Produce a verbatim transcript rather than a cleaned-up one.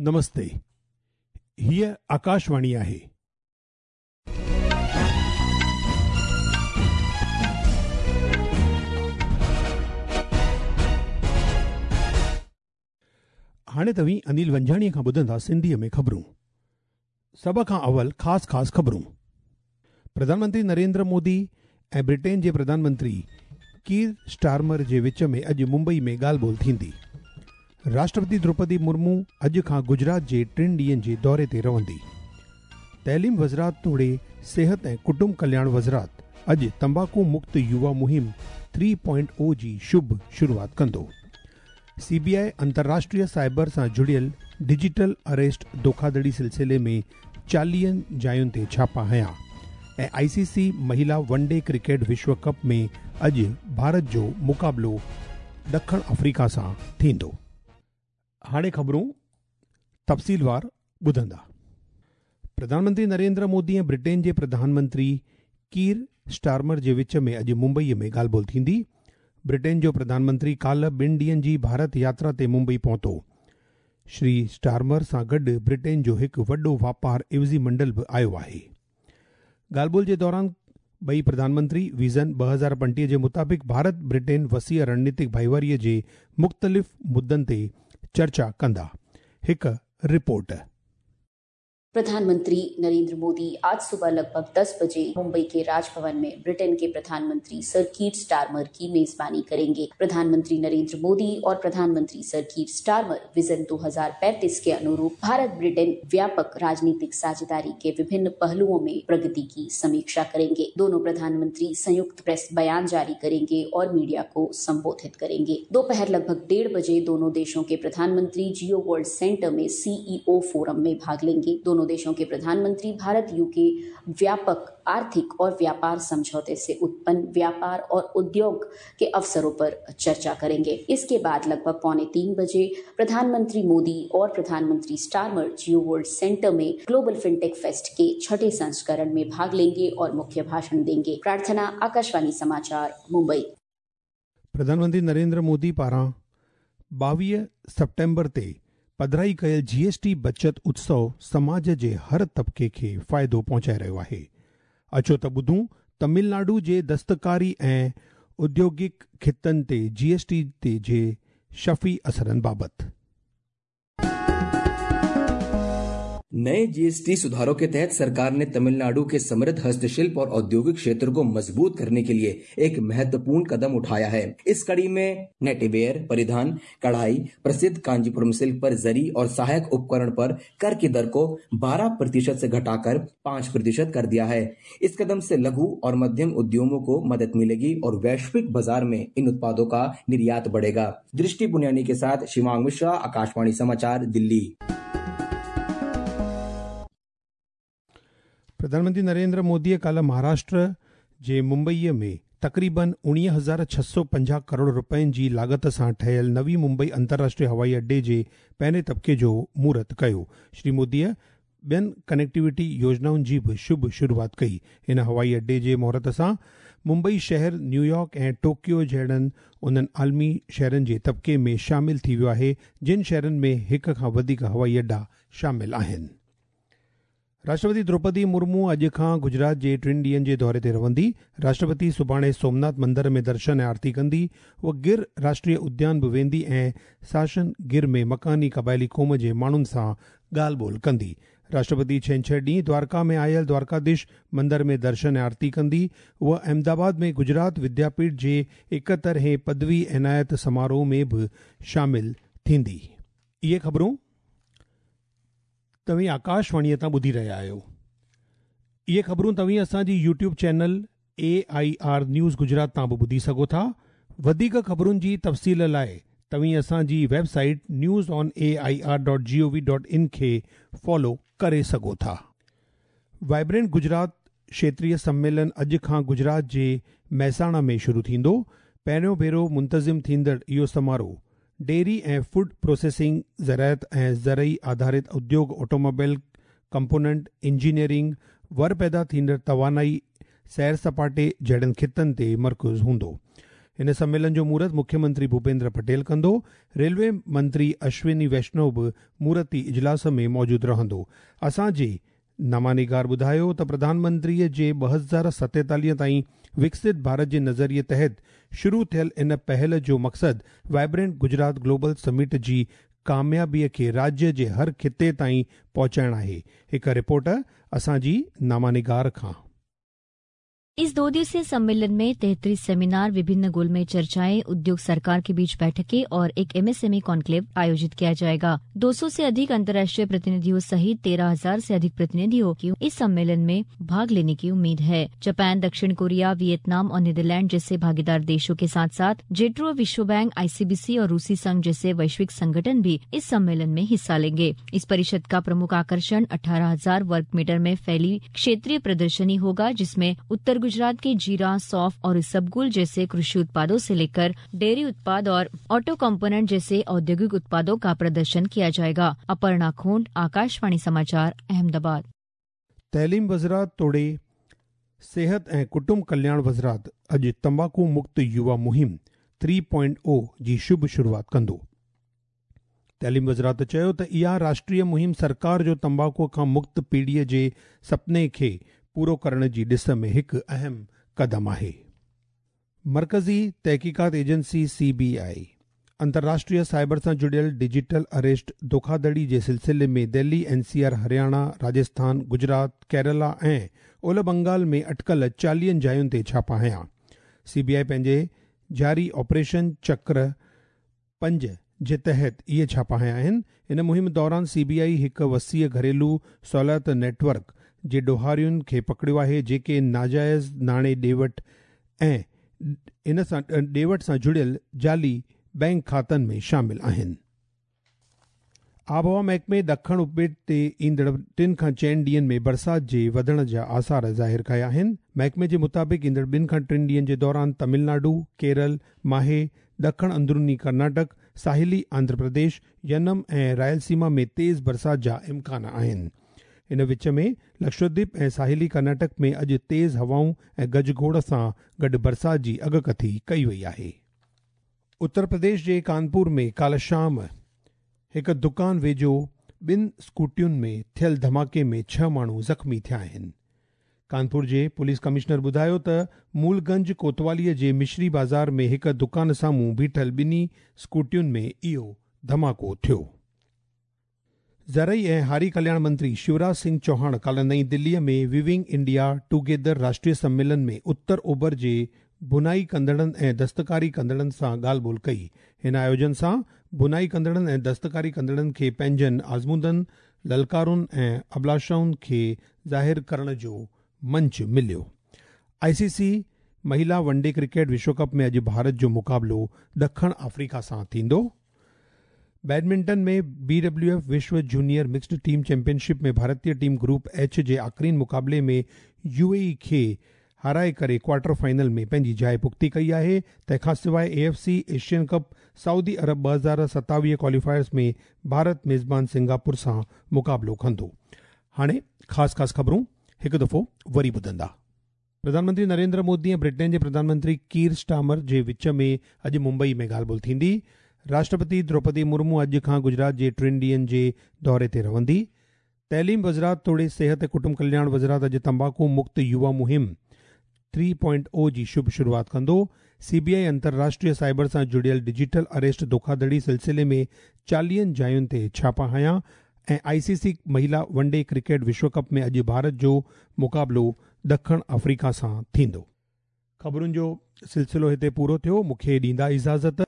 नमस्ते, हीअ आकाशवाणी आहे। हाणे तव्हीं अनिल वंजाणीअ खां ॿुधंदा सिंधीअ में ख़बरूं। सभ खां अवल ख़ासि ख़ासि ख़बरूं। प्रधानमंत्री नरेंद्र मोदी ऐं ब्रिटेन जे प्रधानमंत्री कीर स्टारमर जे विच में अॼु मुंबई में ॻाल्हि ॿोल थींदी। राष्ट्रपति द्रौपदी मुर्मू अॼु खां गुजरात जे टिनि ॾींहंनि जे दौरे ते रहंदी। तइलीम वज़ारत तोड़े सेहत ऐं कुटुंब कल्याण वज़ारत अॼु तंबाकू मुक्त युवा मुहिम थ्री पॉइंट ओ जी शुभ शुरूआत कंदो। सीबीआई अंतर्राष्ट्रीय साइबर सां जुड़ियल डिजिटल अरेस्ट धोखाधड़ी सिलसिले में चालीहनि जायुनि ते छापा हयां। ऐं आईसीसी महिला वनडे क्रिकेट विश्व कप में अॼु भारत जो मुक़ाबिलो ॾखण अफ्रीका सां थींदो। हाणे ख़बरूं तफ़सीलवार ॿुधंदा। प्रधानमंत्री नरेंद्र मोदी ऐं ब्रिटेन जे प्रधानमंत्री कीर स्टारमर जे विच में अॼु मुंबईअ में ॻाल्हि ॿोल थींदी। ब्रिटेन जो प्रधानमंत्री काल्ह ॿिनि ॾींहंनि जी भारत यात्रा ते मुंबई पहुतो। श्री स्टारमर सां गॾु ब्रिटेन जो हिकु वॾो वापार इवज़ी मंडल बि आयो आहे। ॻाल्हि ॿोल जे दौरान ॿई प्रधानमंत्री विज़न ॿ हज़ार पंटीह जे मुताबिक़ भारत ब्रिटेन वसीअ रणनीतिक भाईवारीअ जे मुख़्तलिफ़ मुद्दनि ते चर्चा कंदा। हिकु रिपोर्ट। प्रधानमंत्री नरेंद्र मोदी आज सुबह लगभग दस बजे मुंबई के राजभवन में ब्रिटेन के प्रधानमंत्री सर कीर स्टारमर की मेजबानी करेंगे। प्रधानमंत्री नरेंद्र मोदी और प्रधानमंत्री सर कीर स्टारमर विजन दो हज़ार पैंतीस के अनुरूप भारत ब्रिटेन व्यापक राजनीतिक साझेदारी के विभिन्न पहलुओं में प्रगति की समीक्षा करेंगे। दोनों प्रधानमंत्री संयुक्त प्रेस बयान जारी करेंगे और मीडिया को संबोधित करेंगे। दोपहर लगभग डेढ़ बजे दोनों देशों के प्रधानमंत्री जियो वर्ल्ड सेंटर में सीईओ फोरम में भाग लेंगे। दोनों देशों के प्रधानमंत्री भारत यूके व्यापक आर्थिक और व्यापार समझौते से उत्पन्न व्यापार और उद्योग के अवसरों पर चर्चा करेंगे। इसके बाद लगभग पौने तीन बजे प्रधानमंत्री मोदी और प्रधानमंत्री स्टारमर जियो वर्ल्ड सेंटर में ग्लोबल फिनटेक फेस्ट के छठे संस्करण में भाग लेंगे और मुख्य भाषण देंगे। प्रार्थना, आकाशवाणी समाचार, मुंबई। प्रधानमंत्री नरेंद्र मोदी पारां ॿावीह सेप्टेम्बर ते पधराई कयल जीएसटी बचत उत्सव समाज जे हर तबिके खे फ़ाइदो पहुचाए रहियो आहे। अचो त ॿुधूं तमिलनाडु जे दस्तकारी ऐं औद्योगिक खितनि ते जीएसटी ते जे शफ़ी असरनि बाबति। नए जीएसटी सुधारों के तहत सरकार ने तमिलनाडु के समृद्ध हस्तशिल्प और औद्योगिक क्षेत्र को मजबूत करने के लिए एक महत्वपूर्ण कदम उठाया है। इस कड़ी में नेटवेयर, परिधान, कढ़ाई, प्रसिद्ध कांजीपुरम सिल्क पर जरी और सहायक उपकरण पर कर की दर को बारह प्रतिशत से घटाकर पांच प्रतिशत कर दिया है। इस कदम से लघु और मध्यम उद्यमों को मदद मिलेगी और वैश्विक बाजार में इन उत्पादों का निर्यात बढ़ेगा। दृष्टि बुनियानी के साथ शिवांग मिश्रा, आकाशवाणी समाचार, दिल्ली। प्रधानमंत्री नरेंद्र मोदीअ काल्ह महाराष्ट्र जे मुंबईअ में तक़रीबन उणिवीह हज़ार छह सौ पंजाह करोड़ रुपयनि जी लागत सां ठहियल नवी मुंबई अंतर्राष्ट्रीय हवाई अड्डे जे पहिरें तबिके जो मुहूर्त कयो। श्री मोदीअ ॿियनि कनेक्टिविटी योजनाउनि जी बि शुभ शुरूआत कई। हिन हवाई अड्डे जे मुहूर्त सां मुंबई शहर न्यूयॉर्क ऐं टोक्यो जहिड़नि उन्हनि आलमी शहरनि जे तबिके में शामिल थी वियो आहे जिन शहरनि में हिक खां वधीक हवाई अड्डा शामिल आहिनि। राष्ट्रपति द्रौपदी मुर्मू अॼु खां गुजरात जे टिनि ॾींहंनि जे दौरे ते रहंदी। राष्ट्रपति सुभाणे सोमनाथ मंदर में दर्शन ऐं आरती कंदी। उहा गिर राष्ट्रीय उद्यान बि वेंदी ऐं साशन गिर में मकानी क़बाइली क़ौम जे माण्हुनि सां ॻाल्हि ॿोल कंदी। राष्ट्रपति छेंछर ॾींहुं द्वारका में आयल द्वारकाधीश मंदर में दर्शन ऐं आरती कंदी। उहा अहमदाबाद में गुजरात विद्यापीठ जे एकहतरहें पदवी इनायत समारोह में बि शामिल थींदी। इहे ख़बरूं तव्हीं आकाशवाणीअ तां ॿुधी रहिया आहियो। इहे ख़बरूं तव्हीं असांजी YouTube channel A I R news Gujarat तां बि ॿुधी सघो था। वधीक ख़बरुनि जी तफ़सील लाइ तव्हीं असांजी website news on A I R dot G O V dot in खे फॉलो करे सघो था। वाइब्रेंट गुजरात क्षेत्रीय सम्मेलन अॼु खां गुजरात जे महसाणा में शुरू थींदो। पहिरियों भेरो मुंतज़िम थींदड़ इहो समारोह डेयरी ऐं फूड प्रोसेसिंग, ज़राअत ऐं ज़रई आधारित उद्योग, ऑटोमोबाइल कंपोनेंट, इंजीनियरिंग, वर पैदा थींदड़ तवानाई, सैर सपाटे जहिड़नि ख़ितनि ते मरकूज़ हूंदो। हिन सम्मेलन जो मुहूर्त मुख्यमंत्री भूपेंद्र पटेल कंदो। रेलवे मंत्री अश्विनी वैष्णव बि मुहूर्ती इजलास में मौजूदु रहंदो। असांजे नामानिगार ॿुधायो त प्रधानमंत्रीअ जे ॿ हज़ार सतेतालीह ताईं विकसित भारत जे नज़रिए तहत शुरू थियल इन पहल जो मक़सदु वाइब्रेंट गुजरात ग्लोबल समिट जी कामयाबीअ खे राज्य जे हर खिते ताईं पहुचाइण आहे। हिकु रिपोर्ट असांजी नामानिगार खां। इस दो दिवसीय सम्मेलन में तैंतीस सेमिनार, विभिन्न गोलमेज चर्चाएं, उद्योग सरकार के बीच बैठकें और एक एमएसएमई कॉन्क्लेव आयोजित किया जाएगा। दो सौ से अधिक अंतर्राष्ट्रीय प्रतिनिधियों सहित तेरह हजार से अधिक प्रतिनिधियों की इस सम्मेलन में भाग लेने की उम्मीद है। जापान, दक्षिण कोरिया, वियतनाम और नीदरलैंड जैसे भागीदार देशों के साथ साथ जेट्रो, विश्व बैंक, आईसीबीसी और रूसी संघ जैसे वैश्विक संगठन भी इस सम्मेलन में हिस्सा लेंगे। इस परिषद का प्रमुख आकर्षण अठारह हजार वर्ग मीटर में फैली क्षेत्रीय प्रदर्शनी होगा, जिसमें उत्तर गुजरात के जीरा, सौंफ और इसबगोल जैसे कृषि उत्पादों से लेकर डेयरी उत्पाद और ऑटो कंपोनेंट जैसे औद्योगिक उत्पादों का प्रदर्शन किया जाएगा। अपर्णा खोंड, आकाशवाणी समाचार, अहमदाबाद। तैलीम वज़रात तोड़े सेहत ऐं कुटुंब कल्याण वज़रात अॼु तंबाकू मुक्त युवा मुहिम थ्री पॉइंट ओ जी शुभ शुरुआत कंदो। तैलीम वज़रात चयो त इहा राष्ट्रीय मुहिम सरकार जो तंबाकूअ खां मुक्त पीढ़ीअ जे सपने खे पूरो करण जी this में हिकु अहम कदम आहे। मरकज़ी तहक़ीक़ात एजेंसी सी बी I अंतर्राष्ट्रीय साइबर सां जुड़ियल डिजिटल अरेस्ट धोखाधड़ी जे सिलसिले में Delhi, N C R, Haryana, Rajasthan, Gujarat, Kerala ऐं ओलह बंगाल में अटकल चालीहनि जायुनि ते छापा हयां। सी बी I पंहिंजे जारी ऑपरेशन चक्र पंज जे तहत इहे छापा हयां आहिनि। इन मुहिम दौरान सी बी I हिकु वसीअ घरेलू सहूलियत नेटवर्क जे ॾोहारियुनि खे पकड़ियो आहे, जेके नाजाइज़ नाणे ॾे-वठि ऐं इन सां ॾे-वठि सां जुड़ियल जाली बैंक खातनि में शामिल आहिनि। आबहवा महकमे ॾखण उपेट ते ईंदड़ टिनि खां चइनि ॾींहनि में बरसाति जे वधण जा आसार ज़ाहिर कया आहिनि। महकमे जे मुताबिक़ ईंदड़ ॿिनि खां टिनि ॾींहनि जे दौरान तमिलनाडु, केरल, माहे, ॾखण अंदरूनी कर्नाटक, साहिली आंध्र प्रदेश, यनम ऐं रायलसीमा में तेज़ बरसाति जा इम्कान आहिनि। इन विच में लक्षद्वीप ऐं साहिली कर्नाटक में अॼु तेज़ हवाऊं ऐं गजगोड़ सां गॾु बरसाति जी अगकथी कई वई आहे। उत्तर प्रदेश जे कानपुर में काल्ह शाम हिकु दुकान वेझो ॿिनि स्कूटियुनि में थियल धमाके में छह माण्हू ज़ख़्मी थिया आहिनि। कानपुर जे पुलिस कमिश्नर ॿुधायो त मूलगंज कोतवालीअ जे मिश्री बाज़ार में हिकु दुकान साम्हूं बीठल ॿिन्ही स्कूटियुनि में इहो धमाको थियो। ज़रई ऐं हारी कल्याण मंत्री शिवराज सिंह चौहान काल्ह नई दिल्लीअ में वीविंग इंडिया टुगेदर राष्ट्रीय सम्मेलन में उत्तर ओभर जे बुनाई कंदड़नि ऐं दस्तकारी कंदड़नि सां ॻाल्हि ॿोल कई। हिन आयोजन सां बुनाई कंदड़नि ऐं दस्तकारी कंदड़नि खे पंहिंजनि आज़मूदनि, ललकारुनि ऐं अभिलाषाउनि खे ज़ाहिर करण जो मंच मिलियो। आई सी सी महिला वनडे क्रिकेट विश्व कप में अॼु भारत जो मुक़ाबिलो ॾखण अफ्रीका सां थींदो। बैडमिंटन में बी डब्ल्यू एफ विश्व जूनियर मिक्स्ड टीम चैंपियनशिप में भारतीय टीम ग्रुप एच जे आख़िरीन मुक़ाबले में यू ए ई खे हाराए करे क्वार्टर फाइनल में पंहिंजी जाइ पुख़्ती कई आहे। तंहिंखां सवाइ A F C Asian cup Saudi Arab ॿ हज़ार सतावीह क्वालीफायर्स में भारत मेज़बान सिंगापुर सां मुक़ाबिलो कंदो। हाणे ख़ासि ख़ासि ख़बरूं हिकु दफ़ो वरी ॿुधंदा। प्रधानमंत्री नरेंद्र मोदी ऐं ब्रिटेन जे प्रधानमंत्री कीर स्टामर जे विच में अॼु मुंबई में ॻाल्हि ॿोल थींदी। राष्ट्रपति द्रौपदी मुर्मू अॼु खां गुजरात जे टिनि ॾींहनि जे दौरे ते रहंदी। तैलीम वज़रात तोड़े सेहत ऐं कुटुंब कल्याण वज़रात अॼु तंबाकू मुक्त युवा मुहिम थ्री पॉइंट ओ जी शुभ शुरुआत कंदो। सी बी I अंतर्राष्ट्रीय साइबर सां जुड़ियल डिजिटल अरेस्ट धोखाधड़ी सिलसिले में चालीहनि जायुनि ते छापा हयां ऐं आई सी सी महिला वनडे क्रिकेट विश्व कप में अॼु भारत जो मुक़ाबिलो ॾखण अफ्रीका सां थींदो। ख़बरुनि जो सिलसिलो हिते पूरो थियो। मूंखे ॾींदा इजाज़त।